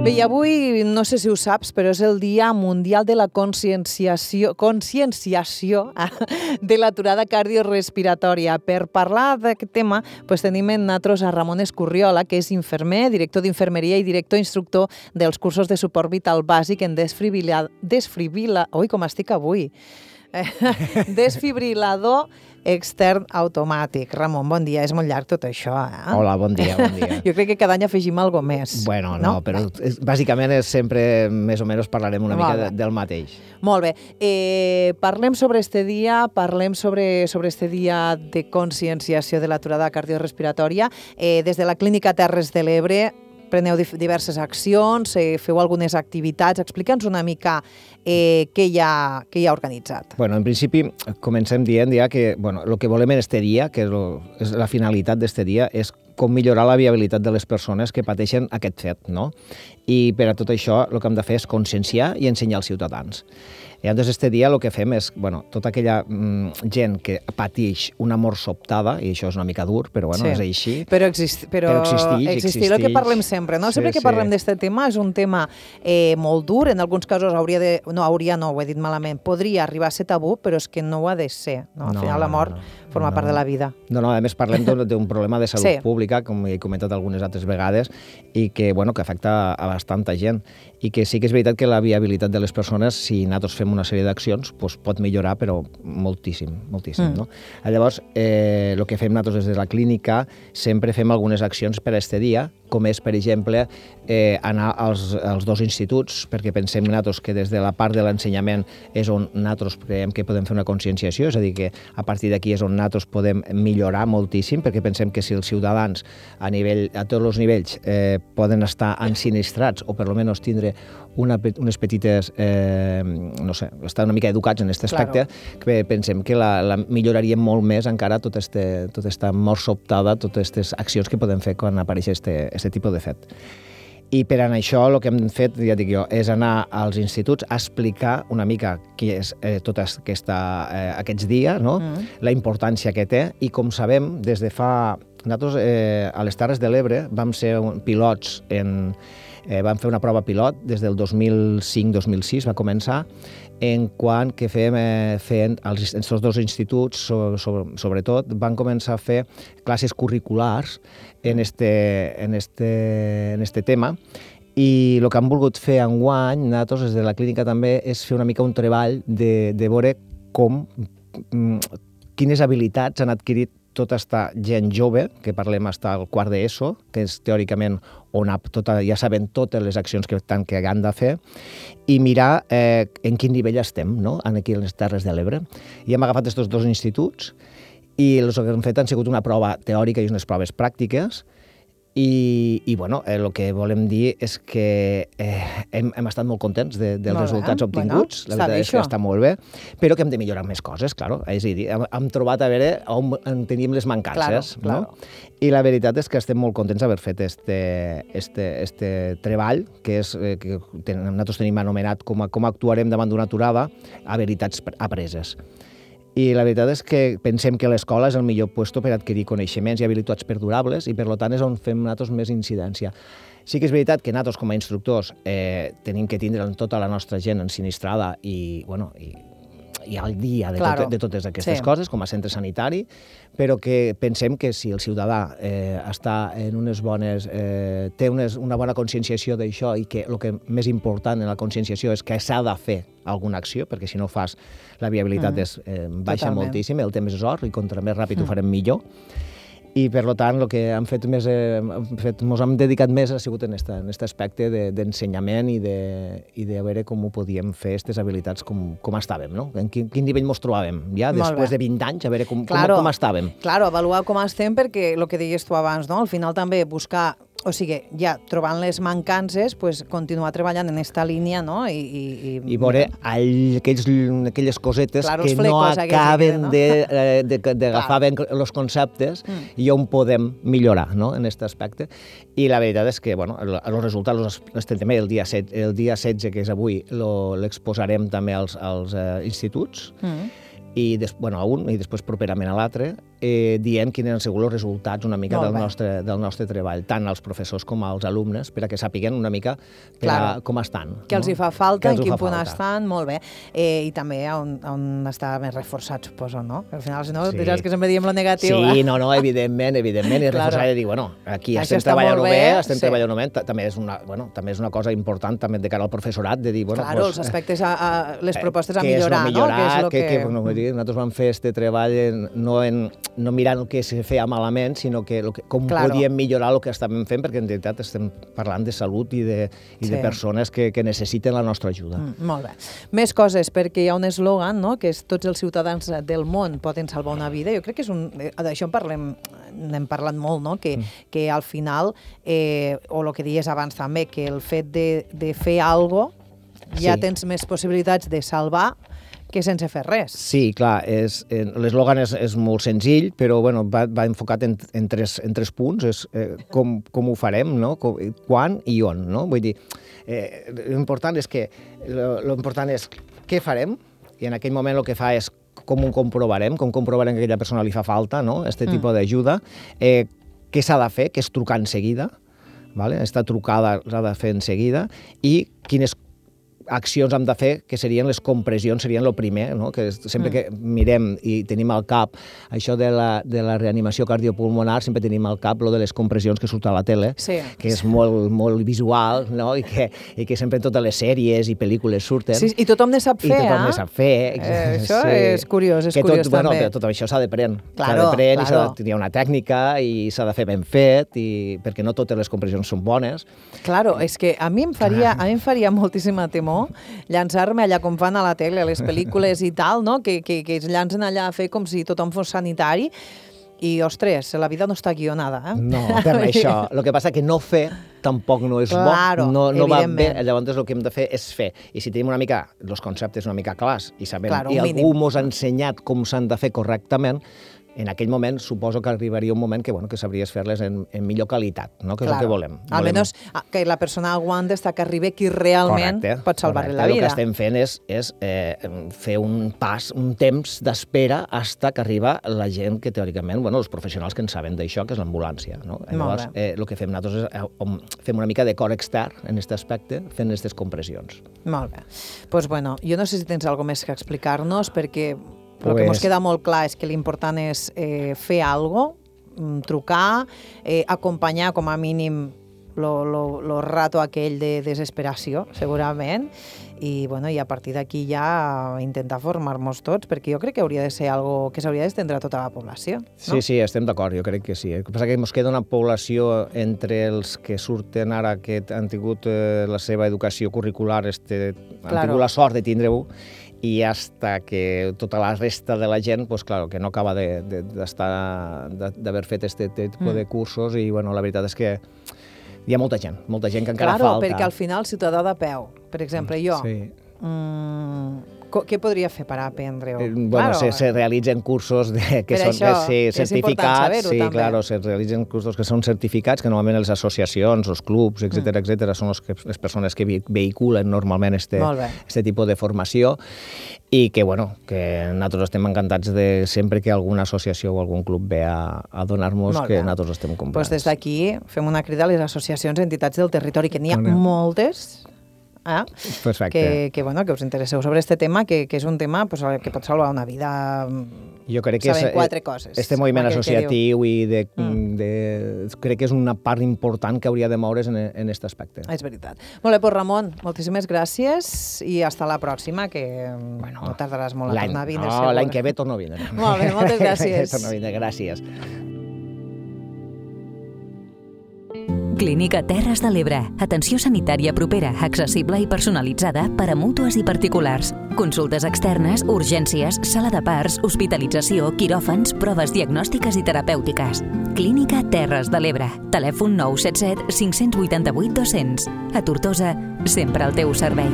Bé, i avui, no sé si ho saps, però és el Dia Mundial de la Conscienciació de l'aturada cardiorrespiratòria. Per parlar d'aquest tema, tenim en nosaltres a Ramon Escurriola, que és infermer, director d'infermeria i director instructor dels cursos de suport vital bàsic en Ui, com estic avui! Desfibrilador extern automàtic. Ramon, bon dia. És molt llarg tot això, eh? Hola, bon dia, bon dia. Jo crec que cada any afegim alguna més. Bueno, no, però bàsicament és sempre, més o menys, parlarem una mica del mateix. Molt bé. Parlem sobre este dia, este dia de conscienciació de l'aturada cardiorrespiratòria. Des de la Clínica Terres de l'Ebre preneu diverses accions, feu algunes activitats. Explica'ns una mica què hi ha organitzat. Bueno, en principi, comencem dient ja que el que volem en este dia, que és la finalitat d'este dia, és com millorar la viabilitat de les persones que pateixen aquest fet, no? I per a tot això el que hem de fer és conscienciar i ensenyar als ciutadans. I llavors, este dia el que fem és, tota aquella gent que pateix una mort sobtada, i això és una mica dur, però és així. Però existir el que parlem sempre, no? Sempre que parlem d'aquest tema és un tema molt dur, en alguns casos ho he dit malament, podria arribar a ser tabú, però és que no ho ha de ser, no? Al final la mort forma part de la vida. No, a més parlem d'un problema de salut pública, com he comentat algunes altres vegades, i que afecta a bastanta gent, i que sí que és veritat que la viabilitat de les persones, si nosaltres fem una sèrie d'accions, pot millorar, però moltíssim, no? Llavors, el que fem nosaltres des de la clínica, sempre fem algunes accions per a este dia, com és, per exemple, anar als dos instituts, perquè pensem nosaltres que des de la part de l'ensenyament és on nosaltres creiem que podem fer una conscienciació, és a dir, que a partir d'aquí és on nosaltres podem millorar moltíssim, perquè pensem que si els ciutadans a tots els nivells poden estar ensinistrats o per almenys tindre unes petites, estar una mica educats en aquest aspecte, que pensem que la milloraríem molt més encara tota aquesta mort sobtada, totes aquestes accions que podem fer quan apareix aquest tipus de fet. I per això el que hem fet, ja dic jo, és anar als instituts a explicar una mica què és tot aquests dies, no? La importància que té, i com sabem, des de fa... Nosaltres a les Terres de l'Ebre vam ser pilots vam fer una prova pilot des del 2005-2006, va començar, en quant que feien els dos instituts, sobretot, van començar a fer classes curriculars en este tema, i el que han volgut fer enguany, nosaltres des de la clínica també, és fer una mica un treball de veure quines habilitats han adquirit tota aquesta gent jove, que parlem fins al quart d'ESO, que és teòricament on ja sabem totes les accions que han de fer, i mirar en quin nivell estem, no?, aquí a les Terres de l'Ebre. I hem agafat aquests dos instituts, i el que hem fet han sigut una prova teòrica i unes proves pràctiques, i el que volem dir és que hem estat molt contents dels resultats obtinguts, la veritat és que està molt bé, però que hem de millorar més coses, clar. És a dir, hem trobat a veure on teníem les mancances, no? I la veritat és que estem molt contents d'haver fet este treball, que nosaltres tenim anomenat com actuarem davant d'una aturada a veritats apreses. I la veritat és que pensem que l'escola és el millor lloc per adquirir coneixements i habilitats perdurables, i per tant és on fem nosaltres més incidència. Sí que és veritat que nosaltres com a instructors tenim que tindre tota la nostra gent ensinistrada i al dia de totes aquestes coses, com a centre sanitari, però que pensem que si el ciutadà està en unes bones... té una bona conscienciació d'això, i que el que més important en la conscienciació és que s'ha de fer alguna acció, perquè si no fas la viabilitat baixa moltíssim, el temps és or, i contra més ràpid ho farem millor. I, per tant, el que hem fet ens hem dedicat més ha sigut en aquest aspecte d'ensenyament i de veure com ho podíem fer, aquestes habilitats, com estàvem, no? En quin nivell ens trobàvem, ja, després de 20 anys, a veure com estàvem. Claro, avaluar com estem, perquè el que deies tu abans, no? Al final també buscar... O sigui, ja trobant les mancances, continuar treballant en aquesta línia, no? I veure aquelles cosetes que no acaben d'agafar ben els conceptes i on podem millorar, no?, en aquest aspecte. I la veritat és que, els resultats estem també el dia 16, que és avui, l'exposarem també als instituts, a un i després properament a l'altre, dient quins han sigut els resultats una mica del nostre treball, tant als professors com als alumnes, perquè sàpiguen una mica com estan. Què els hi fa falta, en quin punt estan, molt bé. I també on està més reforçat, suposo, no? Al final, si no, diràs que sempre diem lo negatiu. Sí, no, evidentment, i reforçar i dir, bueno, aquí estem treballant-ho bé, també és una cosa important també de cara al professorat, de dir, bueno... Claro, els aspectes, les propostes a millorar, no? Nosaltres vam fer aquest treball no mirant el que se feia malament, sinó com podíem millorar el que estàvem fent, perquè en realitat estem parlant de salut i de persones que necessiten la nostra ajuda. Molt bé. Més coses, perquè hi ha un eslògan, no?, que és tots els ciutadans del món poden salvar una vida. Jo crec que d'això n'hem parlat molt, no?, que al final, o el que dies abans també, que el fet de fer alguna cosa ja tens més possibilitats de salvar que sense fer res. Sí, clar, l'eslògan és molt senzill, però va enfocat en tres punts, és com ho farem, no? Quan i on, no? Vull dir, l'important és què farem, i en aquell moment el que fa és com ho comprovarem, com comprovarem que a aquella persona li fa falta, no?, aquest tipus d'ajuda, què s'ha de fer, que és trucar en seguida, esta trucada s'ha de fer en seguida, i quines accions hem de fer, que serien les compressions, serien el primer, no? Que sempre que mirem i tenim al cap això de la reanimació cardiopulmonar, sempre tenim al cap lo de les compressions que surt a la tele, que és molt, molt visual, no? I que sempre en totes les sèries i pel·lícules surten. Sí, i tothom ne sap fer, ne sap fer. Això és curiós, també. Bueno, tot això s'ha d'aprendre. S'ha d'aprendre, s'ha de tenir una tècnica i s'ha de fer ben fet, perquè no totes les compressions són bones. Claro, és que a mi em faria moltíssima temor llançar-me allà com fan a la tele, a les pel·lícules i tal, no? Que es llancen allà a fer com si tothom fos sanitari i, ostres, la vida no està guionada, eh? No, per això. El que passa que no fer tampoc no és bo, no va bé, llavors el que hem de fer és fer. I si tenim una mica els conceptes una mica clars i sabem, i algú ens ha ensenyat com s'han de fer correctament, en aquell moment suposo que arribaria un moment que sabries fer-les en millor qualitat, no? Que és el que volem. Almenys que la persona aguanta fins que arribi qui realment pot salvar-li la vida. El que estem fent és fer un temps d'espera fins que arriba la gent que teòricament, els professionals que en saben d'això, que és l'ambulància. Llavors, el que fem nosaltres és fem una mica de cor extern en aquest aspecte, fent aquestes compressions. Molt bé. Doncs bueno, jo no sé si tens alguna més que explicar-nos, perquè el que ens queda molt clar és que l'important és fer alguna cosa, trucar, acompanyar com a mínim el rato aquell de desesperació, segurament, i a partir d'aquí ja intentar formar-nos tots, perquè jo crec que hauria de ser algo que s'hauria d'estendre a tota la població. Sí, estem d'acord, jo crec que sí. El que passa que ens queda una població entre els que surten ara, que han tingut la seva educació curricular, han tingut la sort de tindre-ho, i hasta que tota la resta de la gent, que no acaba d'haver fet aquest tipus de cursos, i la veritat és que hi ha molta gent que encara falta. Claro, perquè al final, ciutadà de peu, per exemple, jo, què podria fer per aprendre-ho? Se realitzen cursos que són certificats, se realitzen cursos que són certificats, que normalment les associacions, els clubs, etcètera, són les persones que vehiculen normalment aquest tipus de formació, i que nosaltres estem encantats de sempre que alguna associació o algun club ve a donar-nos, que nosaltres estem comprats. Doncs des d'aquí fem una crida a les associacions i entitats del territori, que n'hi ha moltes, que us interesseu sobre aquest tema, que és un tema que pot salvar una vida. Jo crec que este moviment associatiu crec que és una part important que hauria de moure's en aquest aspecte. És veritat. Molt bé, doncs Ramon, moltíssimes gràcies i hasta la pròxima, que no tardaràs molt a tornar a vindre. No, l'any que ve torno a vindre. Molt bé, moltes gràcies. Torno a vindre, gràcies. Clínica Terres de l'Ebre. Atenció sanitària propera, accessible i personalitzada per a mútues i particulars. Consultes externes, urgències, sala de parts, hospitalització, quiròfans, proves diagnòstiques i terapèutiques. Clínica Terres de l'Ebre. Telèfon 977 588 200. A Tortosa, sempre al teu servei.